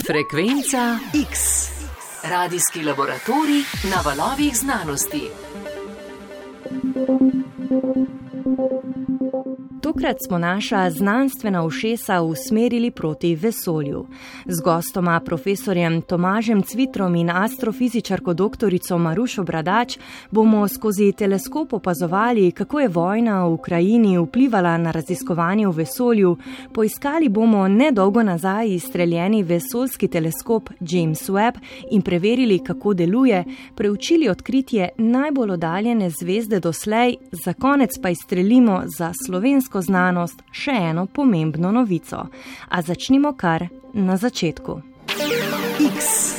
Frekvenca X. Radijski laboratorij na valovih znanosti. Tokrat smo naša znanstvena ušesa usmerili proti vesolju. Z gostoma profesorjem Tomažem Cvitrom in astrofizičarko doktorico Marušo Bradač bomo skozi teleskop opazovali, kako je vojna v Ukrajini vplivala na raziskovanje v vesolju. Poiskali bomo nedolgo nazaj izstreljeni vesoljski teleskop James Webb in preverili, kako deluje, preučili odkritje najbolj oddaljene zvezde doslej, za konec pa izstrelimo za slovensko znanost še eno pomembno novico. A začnimo kar na začetku. X.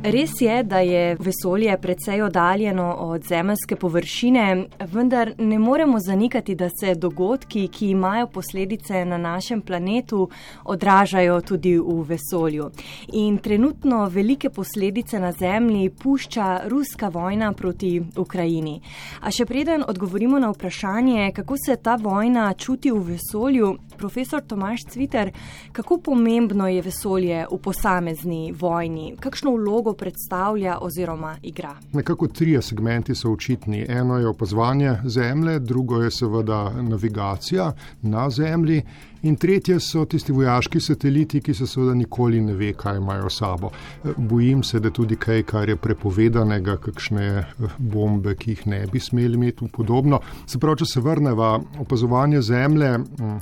Res je, da je vesolje precej oddaljeno od zemeljske površine, vendar ne moremo zanikati, da se dogodki, ki imajo posledice na našem planetu, odražajo tudi v vesolju. In trenutno velike posledice na Zemlji pušča ruska vojna proti Ukrajini. A še preden odgovorimo na vprašanje, kako se ta vojna čuti v vesolju, profesor Tomaž Cviter, kako pomembno je vesolje v posamezni vojni? Kakšno vlogo predstavlja oziroma igra? Nekako trije segmenti so očitni. Eno je opazovanje Zemlje, drugo je seveda navigacija na Zemlji in tretje so tisti vojaški sateliti, ki se seveda nikoli ne ve, kaj imajo sabo. Bojim se, da tudi kaj, kar je prepovedanega, kakšne bombe, ki jih ne bi smeli imeti in podobno. Se pravi, če se vrneva opazovanje Zemlje,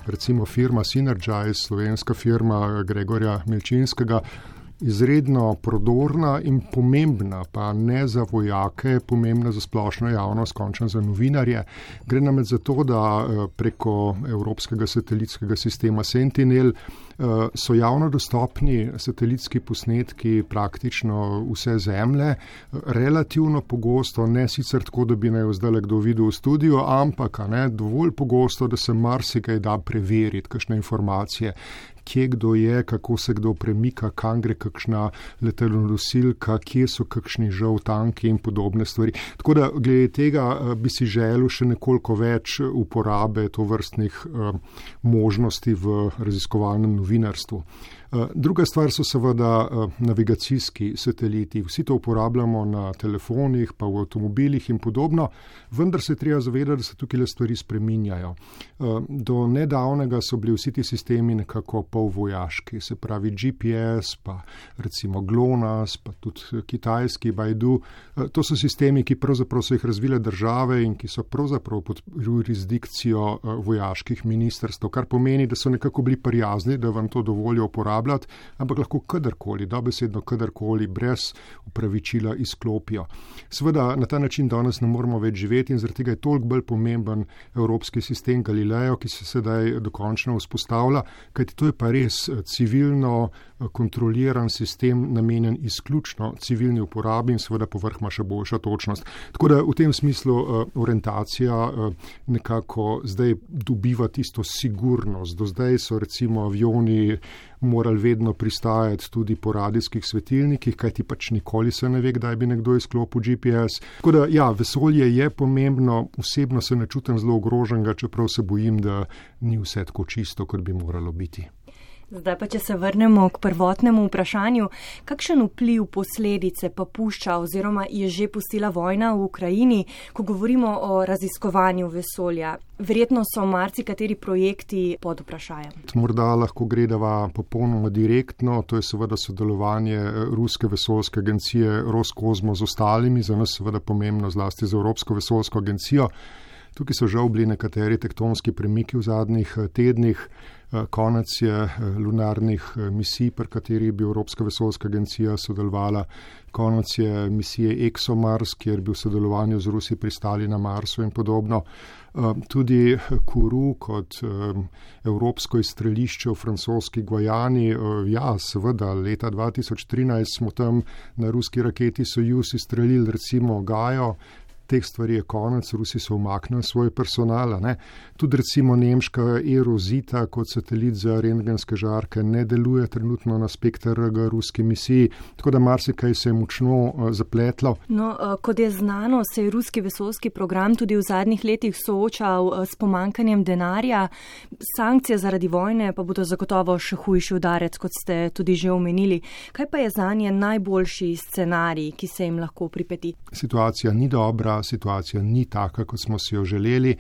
recimo firma Synergize, slovenska firma Gregorja Milčinskega, izredno prodorna in pomembna, pa ne za vojake, pomembna za splošno javnost, končno za novinarje. Gre namreč za to, da preko evropskega satelitskega sistema Sentinel so javno dostopni satelitski posnetki praktično vse Zemlje, relativno pogosto, ne sicer tako, da bi naj zdaj kdo videl v studiu, ampak dovolj pogosto, da se marsikaj da preveriti, kakšne informacije, kje kdo je, kako se kdo premika, kam gre kakšna letalonosilka, kje so kakšni žal tanki in podobne stvari. Tako da glede tega bi si želel še nekoliko več uporabe tovrstnih možnosti v raziskovalnem novinarstvu. Druga stvar so seveda navigacijski sateliti. Vsi to uporabljamo na telefonih, pa v avtomobilih in podobno, vendar se treba zavedati, da se tukaj stvari spreminjajo. Do nedavnega so bili vsi ti sistemi nekako polvojaški, se pravi GPS, pa recimo GLONASS, pa tudi kitajski Baidu. To so sistemi, ki pravzaprav so jih razvile države in ki so pravzaprav pod jurisdikcijo vojaških ministrstv, kar pomeni, da so nekako bili prijazni, da vam to dovolijo uporabljati, ampak lahko kadarkoli, dobesedno kadarkoli, brez upravičila izklopijo. Seveda na ta način danes ne moramo več živeti in zaradi tega je toliko bolj pomemben evropski sistem Galileo, ki se sedaj dokončno vzpostavlja, kajti to je pa res civilno kontroliran sistem, namenjen izključno civilni uporabi in seveda povrh ima še boljša točnost. Tako da v tem smislu orientacija nekako zdaj dobiva tisto sigurnost. Do zdaj so recimo avioni morali vedno pristajati tudi po radijskih svetilnikih, kajti pač nikoli se ne ve, kdaj bi nekdo izklopil GPS. Tako da ja, vesolje je pomembno, osebno se ne čutim zelo ogroženega, čeprav se bojim, da ni vse tako čisto, kot bi moralo biti. Zdaj pa, če se vrnemo k prvotnemu vprašanju, kakšen vpliv posledice pa pušča oziroma je že pustila vojna v Ukrajini, ko govorimo o raziskovanju vesolja? Verjetno so marsikateri projekti pod vprašajem. Morda lahko gledava popolnoma direktno, to je seveda sodelovanje Ruske vesoljske agencije Roskosmos z ostalimi, za nas seveda pomembno zlasti za Evropsko vesoljsko agencijo. Tukaj so žal bili nekateri tektonski premiki v zadnjih tednih. Konec je lunarnih misij, pri kateri bi Evropska vesoljska agencija sodelovala. Konec je misije ExoMars, kjer bi v sodelovanju z Rusi pristali na Marsu in podobno. Tudi Kourou kot evropsko izstrelišče v francoski Gvajani. Ja, seveda, leta 2013 smo tam na ruski raketi Sojuz izstrelili recimo Gajo, teh stvari je konec, Rusi so umaknili svoj personal. Tudi recimo nemška Erosita kot satelit za rentgenske žarke ne deluje trenutno na SPECTR-G ruski misiji, tako da marsikaj se je močno zapletlo. No, kot je znano, se je ruski vesoljski program tudi v zadnjih letih soočal s pomankanjem denarja. Sankcije zaradi vojne pa bodo zagotovo še hujši udarec, kot ste tudi že omenili. Kaj pa je zanje najboljši scenarij, ki se jim lahko pripeti? Situacija ni dobra, situacija ni taka, kot smo si jo želeli.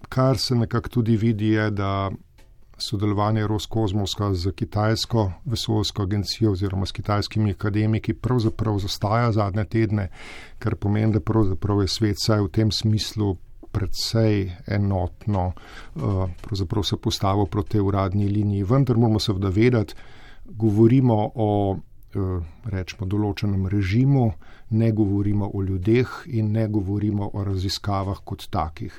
Kar se nekako tudi vidi je, da sodelovanje Roskosmosa z kitajsko vesoljsko agencijo oziroma s kitajskimi akademiki pravzaprav zastaja zadnje tedne, kar pomeni, da pravzaprav je svet saj v tem smislu predvsej enotno pravzaprav se postavil proti tej uradni liniji. Vendar moramo seveda vedeti, govorimo o rečemo določenem režimu, ne govorimo o ljudeh in ne govorimo o raziskavah kot takih.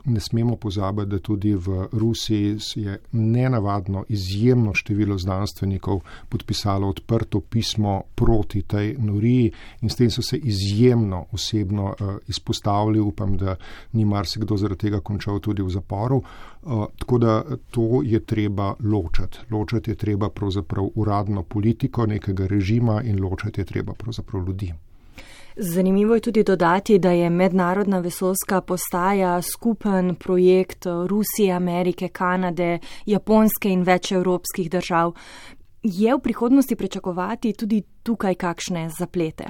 Ne smemo pozabiti, da tudi v Rusiji je nenavadno izjemno število znanstvenikov podpisalo odprto pismo proti tej noriji in s tem so se izjemno osebno izpostavili. Upam, da ni marsikdo zaradi tega končal tudi v zaporu. Tako da to je treba ločati. Ločati je treba pravzaprav uradno politiko nekega režima in ločati je treba pravzaprav ljudi. Zanimivo je tudi dodati, da je mednarodna vesoljska postaja skupen projekt Rusije, Amerike, Kanade, Japonske in več evropskih držav. Je v prihodnosti pričakovati tudi tukaj kakšne zaplete?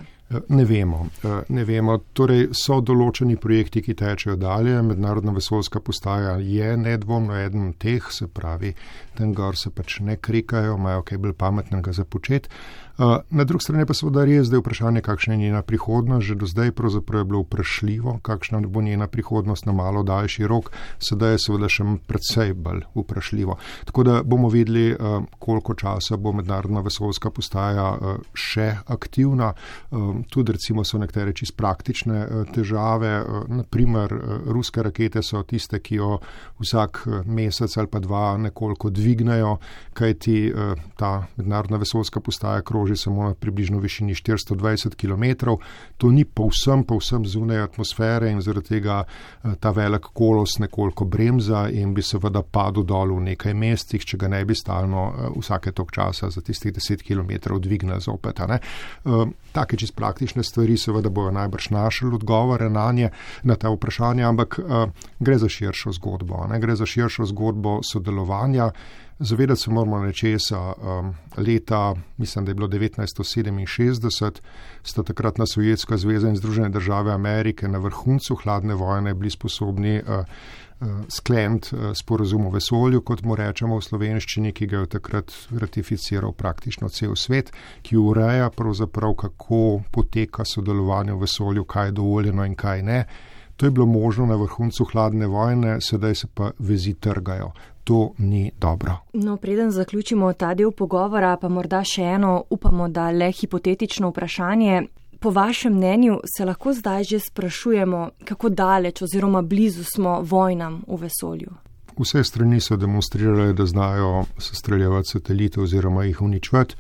Ne vemo. Torej so določeni projekti, ki tečejo dalje. Mednarodna vesoljska postaja je nedvomno eden teh, se pravi, tam gor se pač ne krikajo, imajo kaj bolj pametnega za početi. Na drugi strani pa seveda res, da je vprašanje, kakšna je njena prihodnost. Že do zdaj pravzaprav je bilo vprašljivo, kakšna bo njena prihodnost na malo daljši rok. Sedaj je seveda še precej bolj vprašljivo. Tako da bomo videli, koliko časa bo mednarodna vesoljska postaja še aktivna. Tudi recimo so nekatere čisto praktične težave. Naprimer, ruske rakete so tiste, ki jo vsak mesec ali pa dva nekoliko dvignejo, kajti ta mednarodna vesoljska postaja kroži samo na približno višini 420 km. To ni povsem zunaj atmosfere in zaradi tega ta velik kolos nekoliko bremza in bi seveda padel dol v nekaj mestih, če ga ne bi stalno vsake tok časa za tistih 10 km dvignil zopet. Take čisto praktične stvari seveda bojo najbrž našli odgovore na ta vprašanja, ampak gre za širšo zgodbo. Gre za širšo zgodbo sodelovanja. Zavedati se moramo nečesa. Leta, mislim, da je bilo 1967, sta takratna Sovjetska zveza in Združene države Amerike na vrhuncu hladne vojne bili sposobni skleniti sporazum o vesolju, kot mu rečemo v slovenščini, ki ga je takrat ratificiral praktično cel svet, ki ureja pravzaprav, kako poteka sodelovanje v vesolju, kaj je dovoljeno in kaj ne. To je bilo možno na vrhuncu hladne vojne, sedaj se pa vezi trgajo. To ni dobro. No, preden zaključimo ta del pogovora, pa morda še eno, upamo, da le hipotetično vprašanje. Po vašem mnenju se lahko zdaj že sprašujemo, kako daleč oziroma blizu smo vojnam v vesolju? Vse strani so demonstrirale, da znajo sestreljevati satelite oziroma jih uničevati,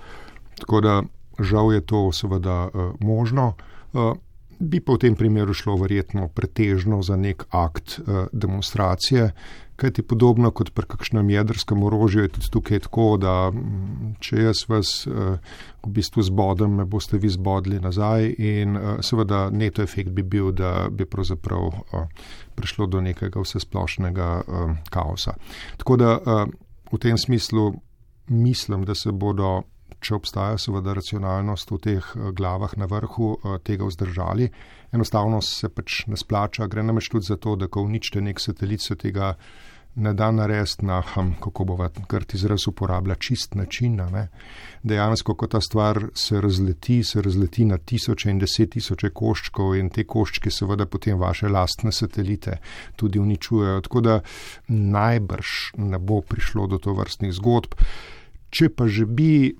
tako da žal je to seveda možno. Bi pa v tem primeru šlo verjetno pretežno za nek akt demonstracije, kajti podobno kot pri kakšnem jedrskem orožju je tudi tukaj tako, da če jaz vas v bistvu zbodem, me boste vi zbodli nazaj in seveda neto efekt bi bil, da bi pravzaprav prišlo do nekega vsesplošnega kaosa. Tako da v tem smislu mislim, da se bodo, če obstaja seveda racionalnost v teh glavah na vrhu, tega vzdržali. Enostavno se pač ne splača, gre namreč tudi za to, da ko uničite nek satelit, se tega ne da narediti na, kako bova grd izraz uporablja, čist način. Dejansko, ko ta stvar se razleti na tisoče in 10 000 koščkov in te koščke seveda potem vaše lastne satelite tudi uničujejo. Tako da najbrž ne bo prišlo do tovrstnih zgodb. Če pa že bi,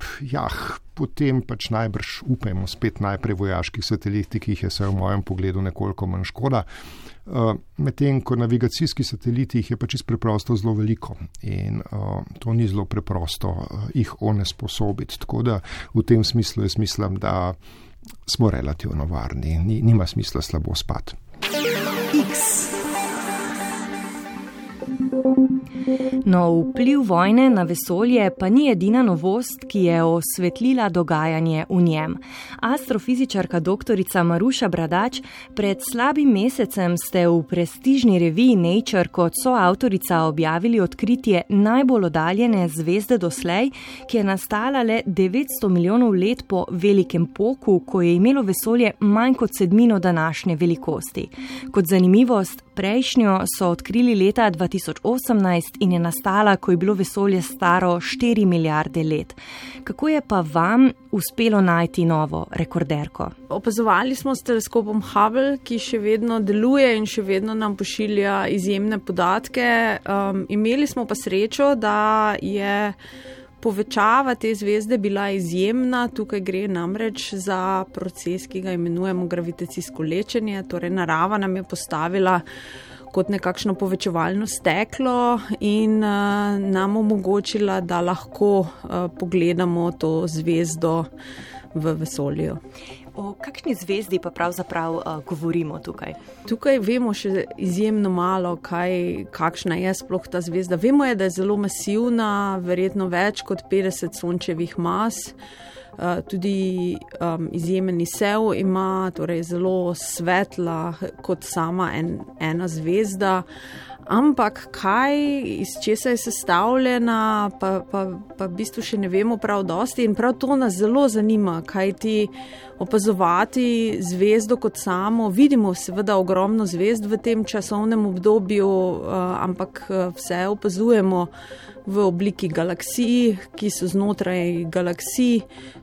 potem pač najbrž upajmo spet najprej vojaških satelitih, ki jih je v mojem pogledu nekoliko manj škoda. Medtem ko navigacijski sateliti jih je pač preprosto zelo veliko in to ni zelo preprosto jih onesposobiti. Tako da v tem smislu jaz mislim, da smo relativno varni, nima smisla slabo spati. No, vpliv vojne na vesolje pa ni edina novost, ki je osvetlila dogajanje v njem. Astrofizičarka doktorica Maruša Bradač, pred slabim mesecem ste v prestižni reviji Nature kot soavtorica objavili odkritje najbolj oddaljene zvezde doslej, ki je nastala le 900 milijonov let po velikem poku, ko je imelo vesolje manj kot sedmino današnje velikosti. Kot zanimivost, prejšnjo so odkrili leta 2018 in je nastala, ko je bilo vesolje staro 4 milijarde let. Kako je pa vam uspelo najti novo rekorderko? Opazovali smo s teleskopom Hubble, ki še vedno deluje in še vedno nam pošilja izjemne podatke. Imeli smo pa srečo, da je povečava te zvezde bila izjemna. Tukaj gre namreč za proces, ki ga imenujemo gravitacijsko lečenje, torej narava nam je postavila kot nekakšno povečevalno steklo in nam omogočila, da lahko pogledamo to zvezdo v vesolju. O kakšni zvezdi pa pravzaprav govorimo tukaj? Tukaj vemo še izjemno malo, kakšna je sploh ta zvezda. Vemo je, da je zelo masivna, verjetno več kot 50 sončevih mas. Tudi izjemen izsev ima, torej zelo svetla kot sama ena zvezda. Ampak kaj, iz česa je sestavljena, pa v bistvu še ne vemo prav dosti in prav to nas zelo zanima, kajti opazovati zvezdo kot samo, vidimo seveda ogromno zvezd v tem časovnem obdobju, ampak vse opazujemo v obliki galaksij, ki so znotraj galaksij.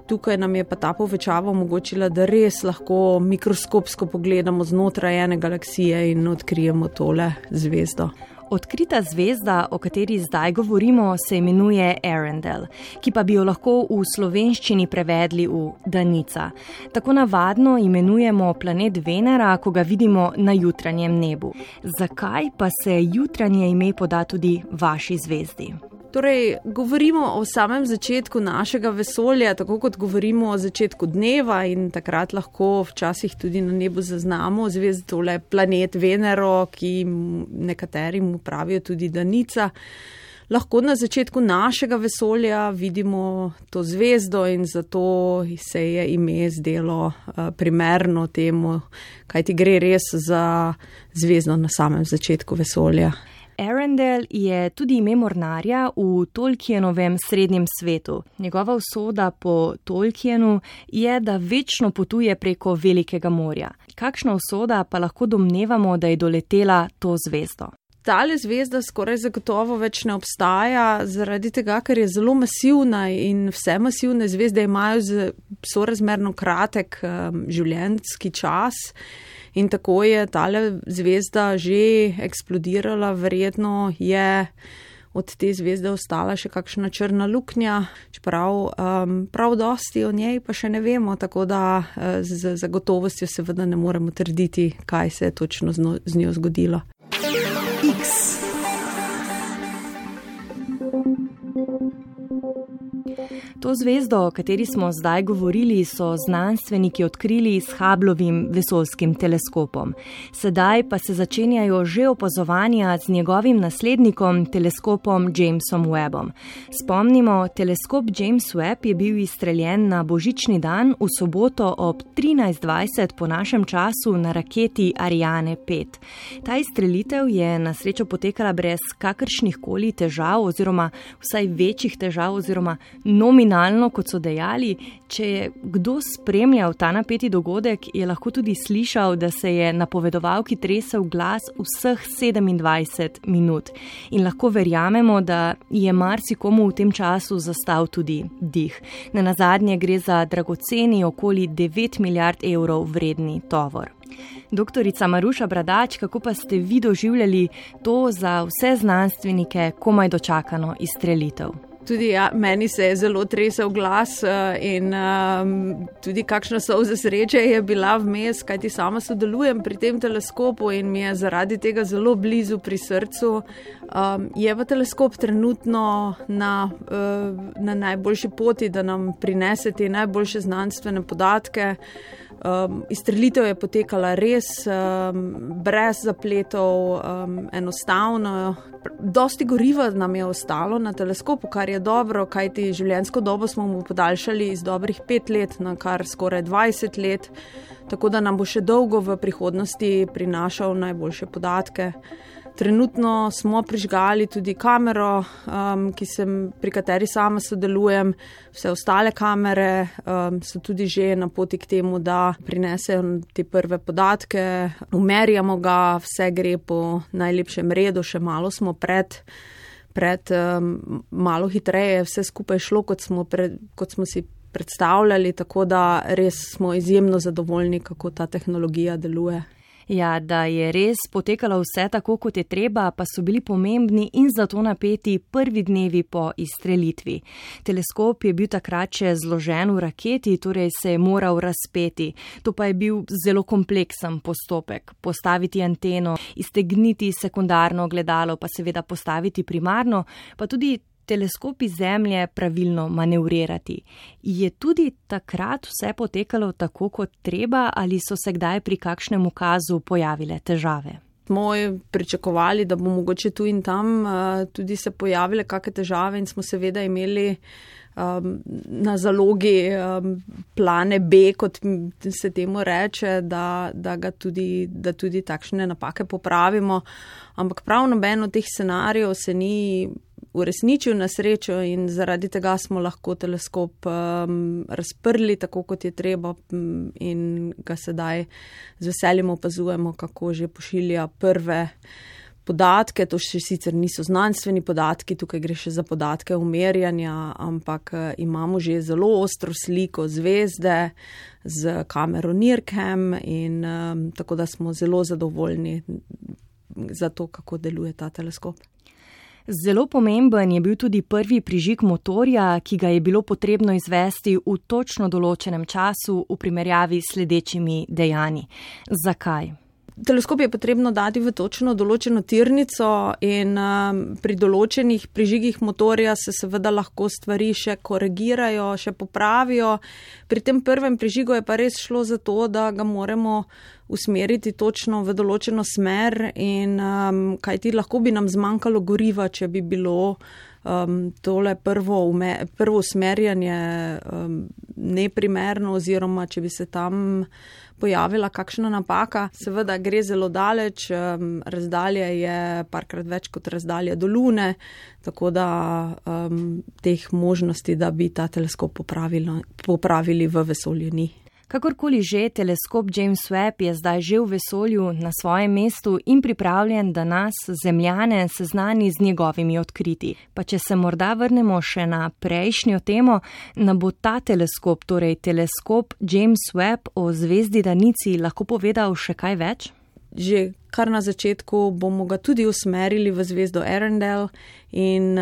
Tukaj nam je pa ta povečava omogočila, da res lahko mikroskopsko pogledamo znotraj ene galaksije in odkrijemo tole zvezdo. Odkrita zvezda, o kateri zdaj govorimo, se imenuje Earendel, ki pa bi jo lahko v slovenščini prevedli v Danica. Tako navadno imenujemo planet Venera, ko ga vidimo na jutranjem nebu. Zakaj pa se jutranje ime poda tudi vaši zvezdi? Torej, govorimo o samem začetku našega vesolja, tako kot govorimo o začetku dneva in takrat lahko včasih tudi na nebu zaznamo zvezdo, tole planet Venero, ki nekateri mu pravijo tudi Danica. Lahko na začetku našega vesolja vidimo to zvezdo in zato se je ime zdelo primerno temu, kajti gre res za zvezdo na samem začetku vesolja. Earendel je tudi ime mornarja v Tolkienovem srednjem svetu. Njegova usoda po Tolkienu je, da večno potuje preko Velikega morja. Kakšna usoda pa lahko domnevamo, da je doletela to zvezdo? Tale zvezda skoraj zagotovo več ne obstaja, zaradi tega, ker je zelo masivna in vse masivne zvezde imajo sorazmerno kratek življenjski čas. In tako je tale zvezda že eksplodirala, verjetno je od te zvezde ostala še kakšna črna luknja, čeprav prav dosti o njej pa še ne vemo, tako da z zagotovostjo seveda ne moremo trditi, kaj se je točno z njo zgodilo. To zvezdo, o kateri smo zdaj govorili, so znanstveniki odkrili s Hubblovim vesoljskim teleskopom. Sedaj pa se začenjajo že opazovanja z njegovim naslednikom, teleskopom Jamesom Webbom. Spomnimo, teleskop James Webb je bil izstreljen na božični dan v soboto ob 13:20 po našem času na raketi Ariane 5. Ta izstrelitev je na srečo potekala brez kakršnih koli težav oziroma vsaj večjih težav oziroma nominalno, kot so dejali. Če je kdo spremljal ta napeti dogodek, je lahko tudi slišal, da se je napovedovalki tresel glas vseh 27 minut. In lahko verjamemo, da je marsikomu v tem času zastal tudi dih. Nenazadnje gre za dragoceni okoli 9 milijard evrov vredni tovor. Doktorica Maruša Bradač, kako pa ste vi doživljali to za vse znanstvenike komaj dočakano izstrelitev? Tudi meni se je zelo tresel glas in tudi kakšna solza sreče je bila vmes, kajti sama sodelujem pri tem teleskopu in mi je zaradi tega zelo blizu pri srcu. Je pa teleskop trenutno na najboljši poti, da nam prinese te najboljše znanstvene podatke. Izstrelitev je potekala res brez zapletov, enostavno. Dosti goriva nam je ostalo na teleskopu, kar je dobro, kajti življenjsko dobo smo mu podaljšali iz dobrih 5 let na kar skoraj 20 let, tako da nam bo še dolgo v prihodnosti prinašal najboljše podatke. Trenutno smo prižgali tudi kamero, pri kateri sama sodelujem. Vse ostale kamere so tudi že na poti k temu, da prinesejo te prve podatke. Umerjamo ga, vse gre po najlepšem redu, še malo smo pred malo hitreje vse skupaj šlo, kot smo si predstavljali, tako da res smo izjemno zadovoljni, kako ta tehnologija deluje. Ja, da je res potekalo vse tako, kot je treba, pa so bili pomembni in zato napeti prvi dnevi po izstrelitvi. Teleskop je bil takrat še zložen v raketi, torej se je moral razpeti. To pa je bil zelo kompleksen postopek. Postaviti anteno, iztegniti sekundarno gledalo, pa seveda postaviti primarno, pa tudi teleskop iz Zemlje pravilno manevrirati. Je tudi takrat vse potekalo tako, kot treba, ali so se kdaj pri kakšnem ukazu pojavile težave? Smo pričakovali, da bo mogoče tu in tam tudi se pojavile kakšne težave in smo seveda imeli na zalogi plane B, kot se temu reče, da tudi takšne napake popravimo. Ampak prav noben od teh scenarijev se ni uresničil na srečo in zaradi tega smo lahko teleskop razprli tako, kot je treba in ga sedaj z veseljem opazujemo, kako že pošilja prve podatke. To še sicer niso znanstveni podatki, tukaj gre še za podatke umerjanja, ampak imamo že zelo ostro sliko zvezde z kamero NIRCam in tako da smo zelo zadovoljni za to, kako deluje ta teleskop. Zelo pomemben je bil tudi prvi prižig motorja, ki ga je bilo potrebno izvesti v točno določenem času v primerjavi s sledečimi dejanji. Zakaj? Teleskop je potrebno dati v točno določeno tirnico in pri določenih prižigih motorja se seveda lahko stvari še korigirajo, še popravijo. Pri tem prvem prižigu je pa res šlo za to, da ga moramo usmeriti točno v določeno smer in kajti lahko bi nam zmanjkalo goriva, če bi bilo tole prvo usmerjanje neprimerno oziroma če bi se tam pojavila kakšna napaka. Seveda gre zelo daleč, razdalja je parkrat več kot razdalja do Lune, tako da teh možnosti, da bi ta teleskop popravili v vesolju ni. Kakorkoli že, teleskop James Webb je zdaj že v vesolju na svojem mestu in pripravljen, da nas, Zemljane, seznani z njegovimi odkriti. Pa če se morda vrnemo še na prejšnjo temo, nam bo ta teleskop, torej teleskop James Webb o zvezdi Danici, lahko povedal še kaj več? Že kar na začetku bomo ga tudi usmerili v zvezdo Earendel in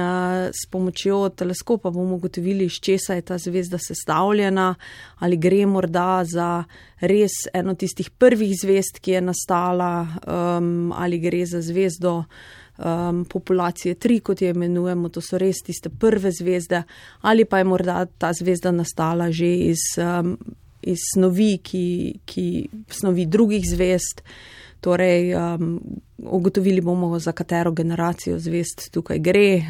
s pomočjo teleskopa bomo ugotovili, iz česa je ta zvezda sestavljena, ali gre morda za res eno tistih prvih zvezd, ki je nastala, ali gre za zvezdo populacije 3, kot je imenujemo, to so res tiste prve zvezde, ali pa je morda ta zvezda nastala že iz snovi, snovi drugih zvezd. Torej, ugotovili bomo, za katero generacijo zvezd tukaj gre,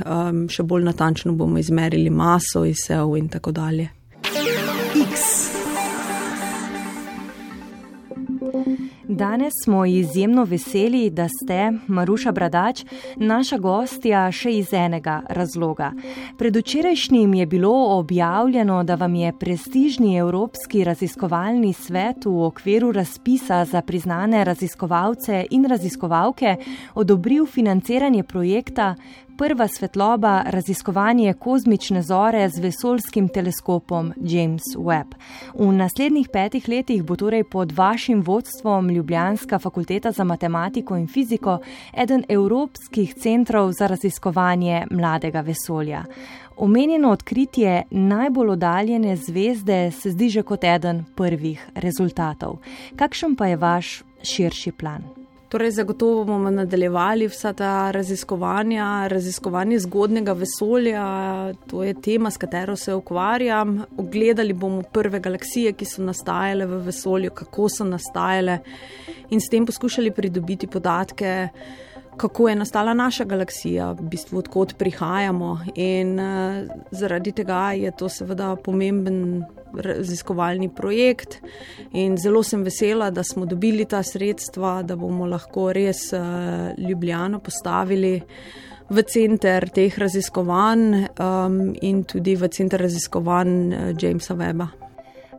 še bolj natančno bomo izmerili maso, izsev in tako dalje. Danes smo izjemno veseli, da ste, Maruša Bradač, naša gostja še iz enega razloga. Predvčerajšnjim je bilo objavljeno, da vam je prestižni Evropski raziskovalni svet v okviru razpisa za priznane raziskovalce in raziskovalke odobril financiranje projekta Prva svetloba raziskovanje kozmične zore z vesoljskim teleskopom James Webb. V naslednjih 5 letih bo torej pod vašim vodstvom Ljubljanska fakulteta za matematiko in fiziko eden evropskih centrov za raziskovanje mladega vesolja. Omenjeno odkritje najbolj oddaljene zvezde se zdi že kot eden prvih rezultatov. Kakšen pa je vaš širši plan? Torej, zagotovo bomo nadaljevali vsa ta raziskovanje zgodnega vesolja, to je tema, s katero se ukvarjam. Ogledali bomo prve galaksije, ki so nastajale v vesolju, kako so nastajale in s tem poskušali pridobiti podatke, kako je nastala naša galaksija, v bistvu odkot prihajamo in zaradi tega je to seveda pomemben raziskovalni projekt in zelo sem vesela, da smo dobili ta sredstva, da bomo lahko res Ljubljano postavili v center teh raziskovanj in tudi v center raziskovanj Jamesa Webba.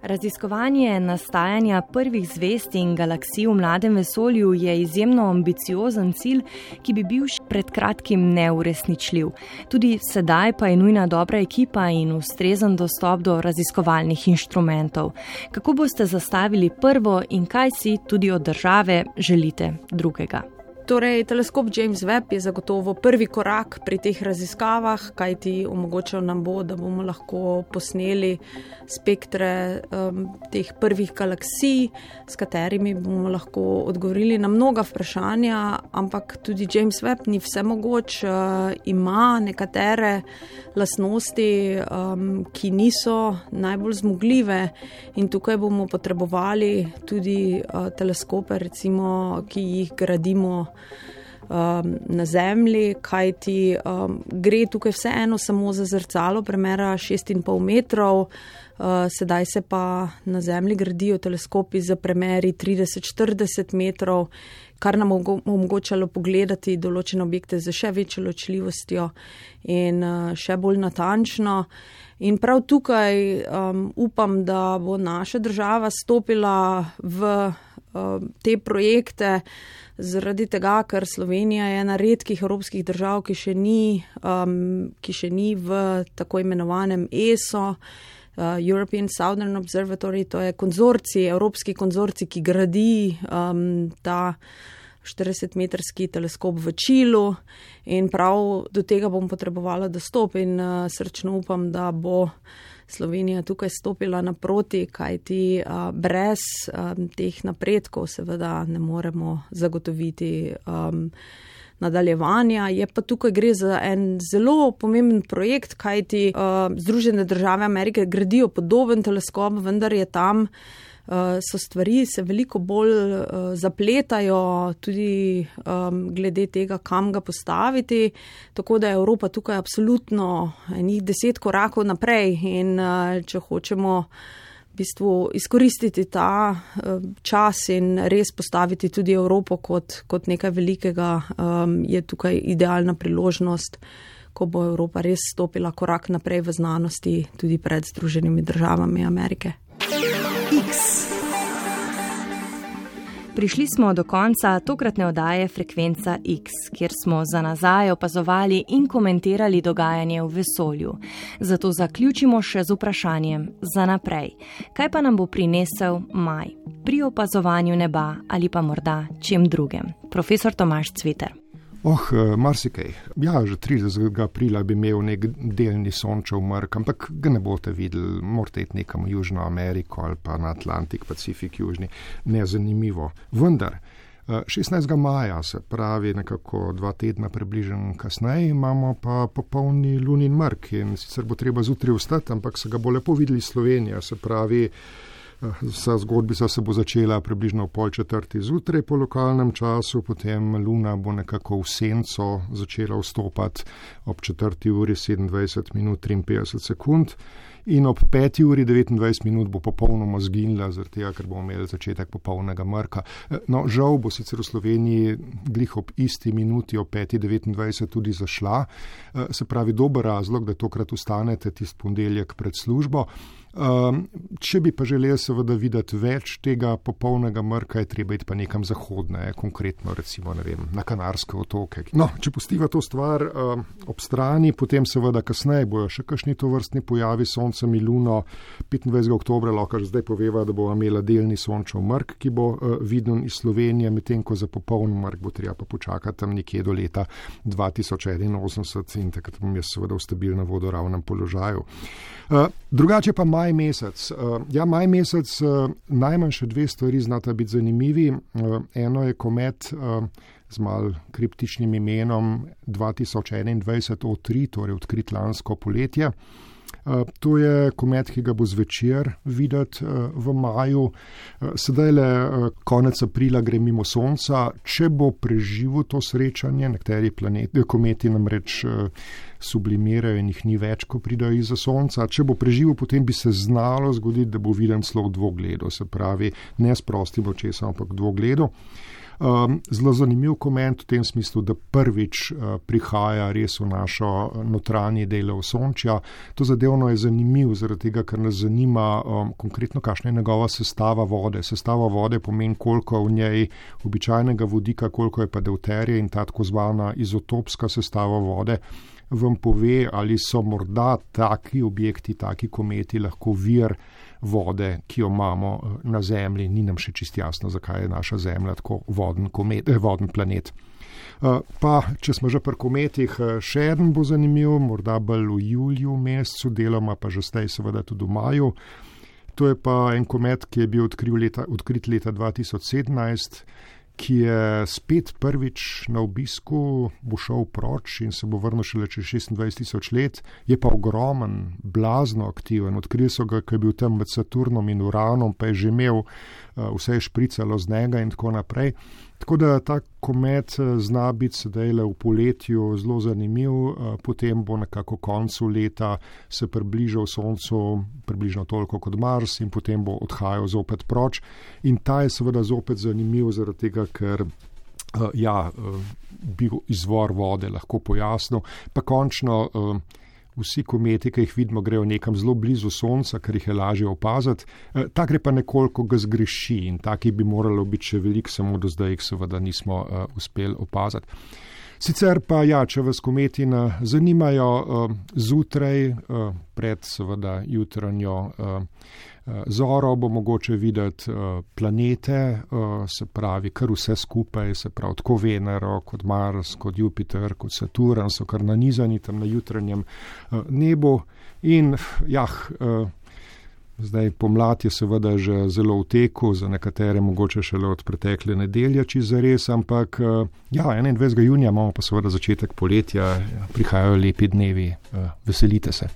Raziskovanje nastajanja prvih zvezd in galaksij v mladem vesolju je izjemno ambiciozen cilj, ki bi bil pred kratkim neuresničljiv. Tudi sedaj pa je nujna dobra ekipa in ustrezen dostop do raziskovalnih inštrumentov. Kako boste zastavili prvo in kaj si tudi od države želite drugega? Torej, teleskop James Webb je zagotovo prvi korak pri teh raziskavah, kajti omogočal nam bo, da bomo lahko posneli spektre teh prvih galaksij, s katerimi bomo lahko odgovorili na mnoga vprašanja, ampak tudi James Webb ni vsemogoč, ima nekatere lastnosti, ki niso najbolj zmogljive in tukaj bomo potrebovali tudi teleskope, recimo, ki jih gradimo na Zemlji, kajti gre tukaj vseeno samo za zrcalo premera 6,5 metrov, sedaj se pa na Zemlji gradijo teleskopi za premeri 30-40 metrov, kar nam omogočalo pogledati določene objekte z še večjo ločljivostjo in še bolj natančno. In prav tukaj upam, da bo naša država stopila v te projekte, zaradi tega, ker Slovenija je ena redkih evropskih držav, ki še ni v tako imenovanem ESO, European Southern Observatory, to je konzorcij, evropski konzorcij, ki gradi ta 40-metrski teleskop v Čilu in prav do tega bom potrebovala dostop in srčno upam, da bo Slovenija tukaj stopila naproti, kajti brez teh napredkov seveda ne moremo zagotoviti nadaljevanja. Je pa tukaj gre za en zelo pomemben projekt, kajti Združene države Amerike gradijo podoben teleskop, vendar je tam so stvari se veliko bolj zapletajo tudi glede tega, kam ga postaviti, tako da je Evropa tukaj absolutno enih 10 korakov naprej in če hočemo v bistvu izkoristiti ta čas in res postaviti tudi Evropo kot nekaj velikega, je tukaj idealna priložnost, ko bo Evropa res stopila korak naprej v znanosti tudi pred Združenimi državami Amerike. Prišli smo do konca tokratne oddaje Frekvenca X, kjer smo za nazaj opazovali in komentirali dogajanje v vesolju. Zato zaključimo še z vprašanjem za naprej. Kaj pa nam bo prinesel maj? Pri opazovanju neba ali pa morda čem drugem? Profesor Tomaž Cviter. Marsikaj. Ja, že 30. aprila bi imel nek delni sončev mrk, ampak ga ne boste videli, morate iti nekam v Južno Ameriko ali pa na Atlantik, Pacifik, Južni, nezanimivo. Vendar, 16. maja, se pravi nekako 2 tedna približno kasneje, imamo pa popolni lunin mrk in sicer bo treba zjutraj vstati, ampak se ga bo lepo videli Slovenija, se pravi, vsa zgodbica se bo začela približno 3:30 zjutraj po lokalnem času, potem luna bo nekako v senco začela vstopati ob 4:27:53 in ob 5:29 bo popolnoma zginila, zaradi tega, ker bomo imeli začetek popolnega mrka. No, žal bo sicer v Sloveniji glih ob isti minuti ob 5:29 tudi zašla, se pravi dober razlog, da tokrat ustanete tisti ponedeljek pred službo. Če bi pa želeli seveda videti več tega popolnega mrka, je treba iti pa nekam zahodne, konkretno recimo, ne vem, na Kanarske otoke. No, če pustiva to stvar ob strani, potem seveda kasneje bojo še kakšni tovrstni pojavi s soncem in luno. 25. oktobra lahko že zdaj poveva, da bo imela delni sončev mrk, ki bo viden iz Slovenije, medtem ko za popoln mrk bo treba pa počakati tam nekje do leta 2081 in takrat bom jaz seveda v stabilnem vodoravnem položaju. Drugače pa maj maj mesec. Maj mesec najmanj še dve stvari znata biti zanimivi. Eno je komet z mal kriptičnim imenom 2021 O3, torej odkrit lansko poletje. To je komet, ki ga bo zvečer videti v maju. Sedaj le konec aprila gre mimo Sonca. Če bo preživel to srečanje, nekateri kometi namreč sublimirajo in jih ni več, ko pridajo izza Sonca. Če bo preživel, potem bi se znalo zgoditi, da bo viden celo v dvogledu, se pravi ne s prostim očesom, ampak v dvogledu. Zelo zanimiv koment v tem smislu, da prvič prihaja res v našo notranji del Osončja. To zadevno je zanimiv zaradi tega, ker nas zanima konkretno, kakšna je njegova sestava vode. Sestava vode pomeni, koliko v njej običajnega vodika, koliko je pa deuterija in ta tako zvana izotopska sestava vode vam pove, ali so morda taki objekti, taki kometi lahko vir vode, ki jo imamo na Zemlji. Ni nam še čisto jasno, zakaj je naša Zemlja tako voden planet. Pa, če smo že pri kometih, še eden bo zanimiv, morda bolj v juliju mesecu, deloma pa že zdaj seveda tudi v maju. To je pa en komet, ki je bil odkrit leta 2017, ki je spet prvič na obisku, bo šel proč in se bo vrnil šele čez 26,000 let, je pa ogromen, blazno aktiven. Odkrili so ga, ko je bil tam med Saturnom in Uranom, pa je že imel, vse je špricalo z njega in tako naprej. Tako da ta komet zna biti sedaj le v poletju zelo zanimiv, potem bo nekako koncu leta se približal Soncu, približno toliko kot Mars in potem bo odhajal zopet proč. In ta je seveda zopet zanimiv zaradi tega, ker bi izvor vode lahko pojasnil. Pa končno vsi kometi, ki jih vidimo, grejo nekam zelo blizu Sonca, ker jih je lažje opaziti. Ta gre pa nekoliko ga zgreši in taki bi moralo biti še veliko, samo do zdaj jih seveda nismo uspeli opaziti. Sicer pa če vas kometi zanimajo zjutraj, pred seveda jutranjo zoro bo mogoče videti planete, se pravi kar vse skupaj, se pravi tako Venero, kot Mars, kot Jupiter, kot Saturn so kar nanizani tam na jutranjem nebu in zdaj pomlad je seveda že zelo v teku, za nekatere mogoče šele od pretekle nedelje, čisto zares, ampak 21. junija imamo pa seveda začetek poletja, prihajajo lepi dnevi, veselite se.